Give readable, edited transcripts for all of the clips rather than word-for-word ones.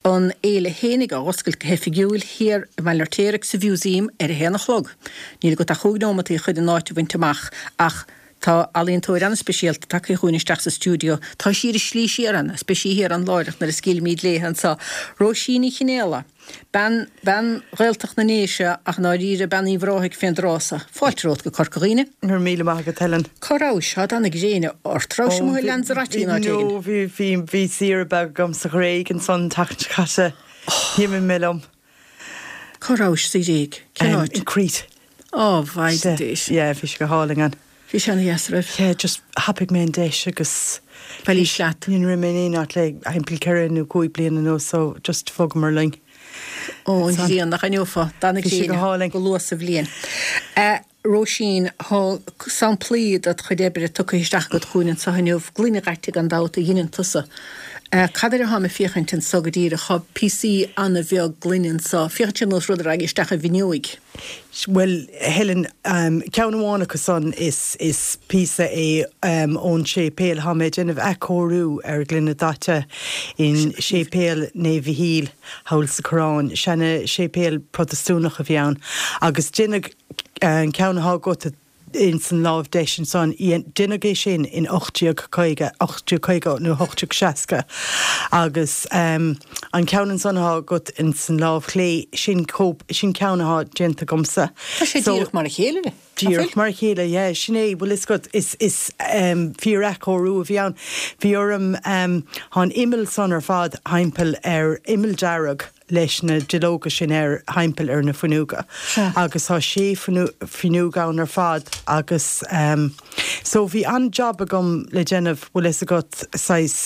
An fhéile fhéinig á oscailt go hoifigiúil thiar i mBaile an Fheirtéaraigh sa Mhúsaem ar a haon a chlog. Níl agat ach chúig neomataí chun an áit a bhaint amach ach tá ealaíontóir an-speisialta tagtha chugainn isteach sa stiúideo. Tá sí ar a slí siar ann agus beidh sí thiar ann láithreach nuair a scaoilfimid léithe anseo. Róisín Ní Chinéala. Bean, bean Ghaeltacht na nDéise ach i ndáiríre bean Uíbh Ráthaigh fén dtráth so. Fáilte romhat go Corca Dhuibhne. Go raibh míle maith agat Helen. Cá rabhais? Tá dath na gréine ort. Rabhais amuigh ag Lanzarote nó áit éigin? No, bhí, bhí, bhí saoire beag agam sa Ghréig ansan an tseachtain seo caite. D'imigh mé liom. Cá rabhais sa Ghréig? Cén áit? In Crete. Ó, mhaighdean Dé. Yeah, bhí sé go hálainn ann. Bhí sé ana-dheas, raibh? Yeah, just thapaigh mé an deis agus. Bhailís leat. Ní raibh mé in aon áit le thimpeall ceithre nó cúig bliana anuas so just bhogamar linn. Ó, an ghrian, nach aithneofá dath na Bhí sé go gréine hálainn. go luath sa bhliain. A Róisín, tá samplaí dod chuid oibre tugtha isteach agat chugainn anseo inniu, gloine dhaite gan dabht a dheineann tusa. Cad air atáim ag féachaint anseo go díreach? Tá píosaí ana-bheag gloine anseo. Féachann sé ar nós rud a raghaidh isteach i bhfuinneoig. Bhuel, Helen, ceann amháin acu san, is is píosa é ón séipéal. Tá mé ag déanamh athchóiriú ar ghloine daite in Séipéal Naomh Mhichíl thall sa Choireán. Seana séipéal Protastúnach a bhí ann agus deineadh an ceann atá agat ins an láimh deis ansan, deineadh é sin in 1850, 1850 nó 1860 agus an ceann ansan atá agat ins an láimh chlé, sin cóip, sin ceann atá déanta agamsa. Tá sé díreach mar a chéile, nach bhfuil? Díreach mar a chéile, yeah, sin é, bhfuil fhios agat, is, is fíor-athchóiriú a bhí ann. Bhí orm, tá an imeall san ar fad thimpeall ar imeall dearg, leis na duilleoga sin air thimpeall ar na fuinneoga agus tá sé fuinneog ann ar fad agus so bhí an-jab agam le déanamh bhfuil fhios agat saghas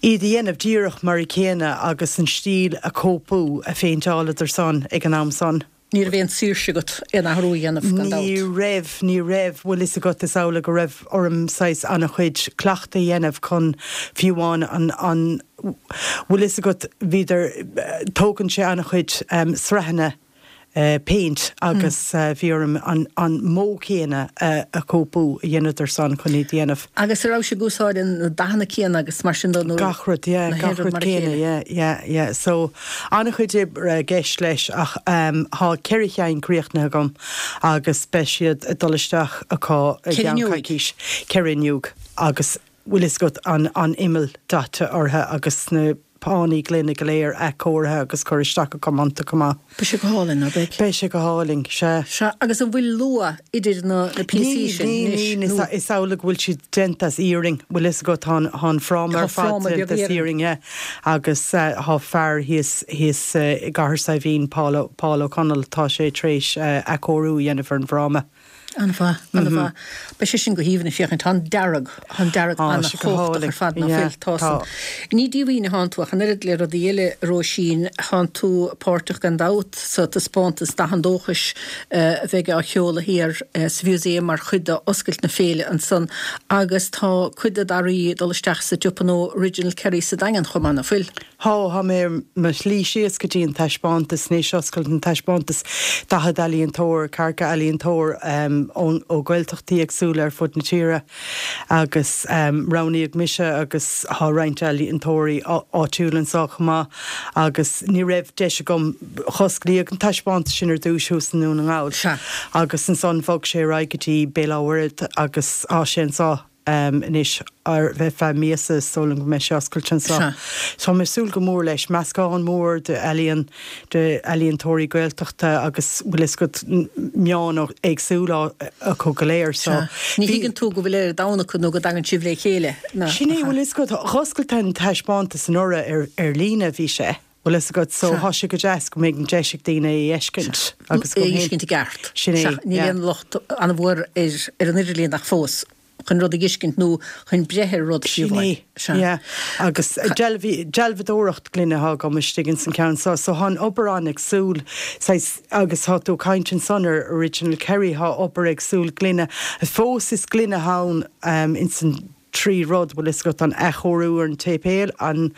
iad a dhéanamh díreach mar a chéanna agus an stíl a chóipeáil a phéinteáladar san ag an am san. Ní raibh aon saoirse agat aon athrú a dhéanamh, gan dabht. Ní raibh, ní raibh. Bhfuil fhios agat, is amhlaidh go raibh orm saghas an-chuid cleachtaidh a dhéanamh chun fiú amháin an, an, bhfuil fhios agat, bhíodar, tógann sé an-chuid sraitheanna péint agus bhí orm an, an modh céanna a chóipeáil a dheineadar san chun iad a dhéanamh. Agus an raibh sibh ag úsáid na dathanna céanna agus mar sin de nó? Gach rud, yeah, gach rud céanna, yeah, yeah, yeah. So, An-chuid oibre i gceist leis ach tá 4 cheann críochnaithe agam agus beidh siad ag dul isteach acu i gceann coicís. 4 fhuinneog agus bhfuil fhios agat an an imeall daite orthu agus na pánaí gloine go léir athchóirithe agus curtha isteach acu iontu chomh maith. Beidh sé go hálainn, ná beidh? Beidh sé go hálainn, sea. Sea, agus an bhfuil lua idir na píosaí sin anois, nó? Níl, níl, is amhlaidh go bhfuil siad déanta as iarainn, bhfuil fhios agat, tá an, tá an fráma ar fad déanta as iarainn, yeah, agus tá fear thíos, thíos i gCathair Saidhbhín, Paul, Paul O'Connell, tá sé tar éis athchóiriú a dhéanamh ar an bhfráma. An-mhaith, an-mhaith. Beidh sé sin go haoibhinn ag féachaint. Tá an dearg, tá an dearg an-chumhachtach ar fad, ná fuil? Tá san. Ní díomhaoin atánn tú ach an oiread le rudaí eile, a Róisín. Tánn tú páirteach gan dabht sa taispeántas Dath an Dóchais a bheidh á sheoladh thiar sa Mhúsaem mar chuid d'oscailt na féile ansan agus tá cuid de d'earraí ag dul isteach sa tsiopa nua Original Kerry sa Daingean chomh maith, ná fuil? Tá, tá mé ar mo shlí síos go dtí an taispeántas anois, oscailt an taispeántas, 40 ealaíontóir, ceathracha ealaíontóir ó Ghaeltachtaí éagsúla ar fud na tíre agus roghnaíodh mise agus tá roinnt ealaíontóirí áitiúla anseo chomh maith agus ní raibh deis agam, osclaíodh an taispeántas sin ar dtús thuas i nDún na nGall agus ansan bhog sé ar aghaidh go dtí Béal Átha Mhuirthead agus tá sé anseo. anois ar feadh míosa is dóigh liom go mbeidh sé oscailte anseo. Tá mé ag súil go mór leis. Meascán mór de ealaíon, de ealaíontóirí Gaeltachta agus bhfuil fhios agat meáin éagsúla acu go léir so. Ní thuigeann tú go bhfuil ar domhan acu nó go dtagann sibh le chéile. Sin é, bhfuil fhios agat, dh'oscail an taispeántas anuraidh ar líne bhí sé. Bhfuil fhios agat, so thá sé go deas go mbeidh an deis ag daoine é a fheiscint agus go É a fheiscint i gceart. Sin é, Sea, níl aon locht an-mhór ar ar an idirlíon ach fós chun rud a fheiscint nó chun breith ar rud fiú Sin é, Sea. yeah. Agus deilbhí, dealbhadóireacht gloine athá agam istigh ins an ceann so, so thá an obair an-éagsúil, saghas, agus thá tú ag caint ansan ar Original Kerry, thá obair éagsúil gloine, fós is gloine athá ann ins an 3 rud, bhfuil fhios agat, an athchóiriú ar an tséipéal, an,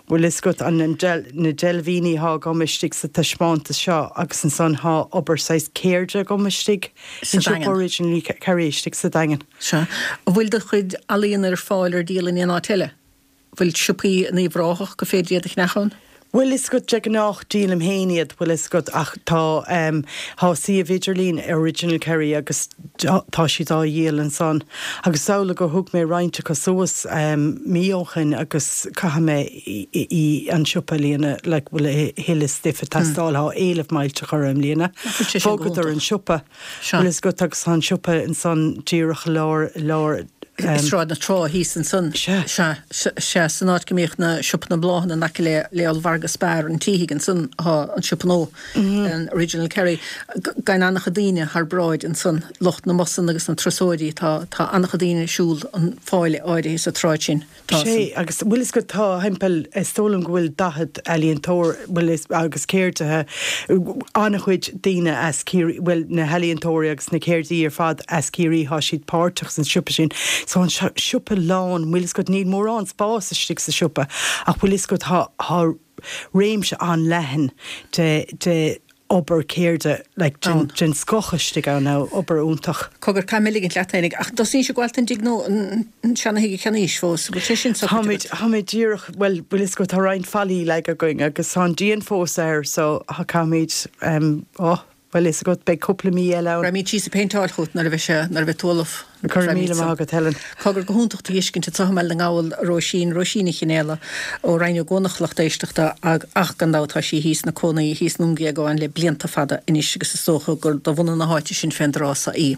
bhfuil fhios agat, an, an deil, na deilbhíní athá agam istigh sa taispeántas seo agus ansan thá obair saghas ceirde agam istigh Sa in siopa Daingean. Original Kerry istigh sa Daingean. Sea. An bhfuil do chuid ealaíona ar fáil ar díol in aon áit eile? Bhfuil siopaí in Uíbh Ráthach gur féidir iad a cheannach ann? Bhfuil fhios agat, de gnách díolaim féin iad, bhfuil fhios agat, ach tá, tá suíomh idirlín Original Kerry agus tá siad á dhíol ansan. Agus is amhlaidh gur thug mé roinnt acu suas mí ó shoin agus caithfidh mé í an siopa a líonadh, like, bhfuil a thuilleadh stuif ag teastáil, tá éileamh millteach orthu i mbliana. Bhogadar an siopa. Bhfuil fhios agat agus tá an siopa ansan díreach i lár, i lár. I Sráid na Trá thíos ansan. Sea. Sea, sea, san áit go mbíodh na siopa na mbláthanna in aice le, le ollmhargadh Spar an tSíthigh ansan thá an siopa nua, an Original Kerry. Gabhann an-chuid daoine thar bráid ansan, lucht na mbusanna agus na turasóirí, tá, tá an-chuid daoine ag siúl an fáile áirithe sa tsráid sin. Tá Sé, agus bhfuil fhios agat, tá thimpeall, is dóigh liom go bhfuil 40 ealaíontóir, bhfuil fhios, agus ceardaithe, an-chuid daoine as Ciarraí, bhuel, na healaíontóirí agus na ceardaithe ar fad as Ciarraí, tá siad páirteach san siopa sin. So an siopa lán, bhfuil fhios agat, níl mórán spás istigh sa siopa ach bhfuil fhios agat, tá, tá réimse an-leathan de, de, obair ceirde like den den scoth istigh ann now, obair iontach. Cogar, caithfidh mé ligint leat fhéinig, ach an dtosaíonn sibh ag gabháil don dtigh nó an seana-thigh a cheannaís fós, an bhfuil sé sin socraithe agat? Táimid díreach, bhuel, bhfuil fhios agat, tá roinnt fallaí leagtha againn agus tá an díon fós air so caithfimid, oh, bhfuil fhios agat, beidh cúpla mí eile ann. Raghaimid síos ag péinteáil chugat nuair a bheidh sé, nuair a bheidh tú ullamh. Go raibh míle maith agat, Helen. Cogar, go hiontach tú a fheiscint anseo i mBaile na nGall, a Róisín, Róisín Ní Chionnfhaola ó Rinn Ó gCuanach, lucht éisteachta, ach gan dabht tá sí thíos ina cónaí thíos i nDún Géagáin le blianta fada anois agus is dócha gur de bhunadh na háite sin fén dtráth so í.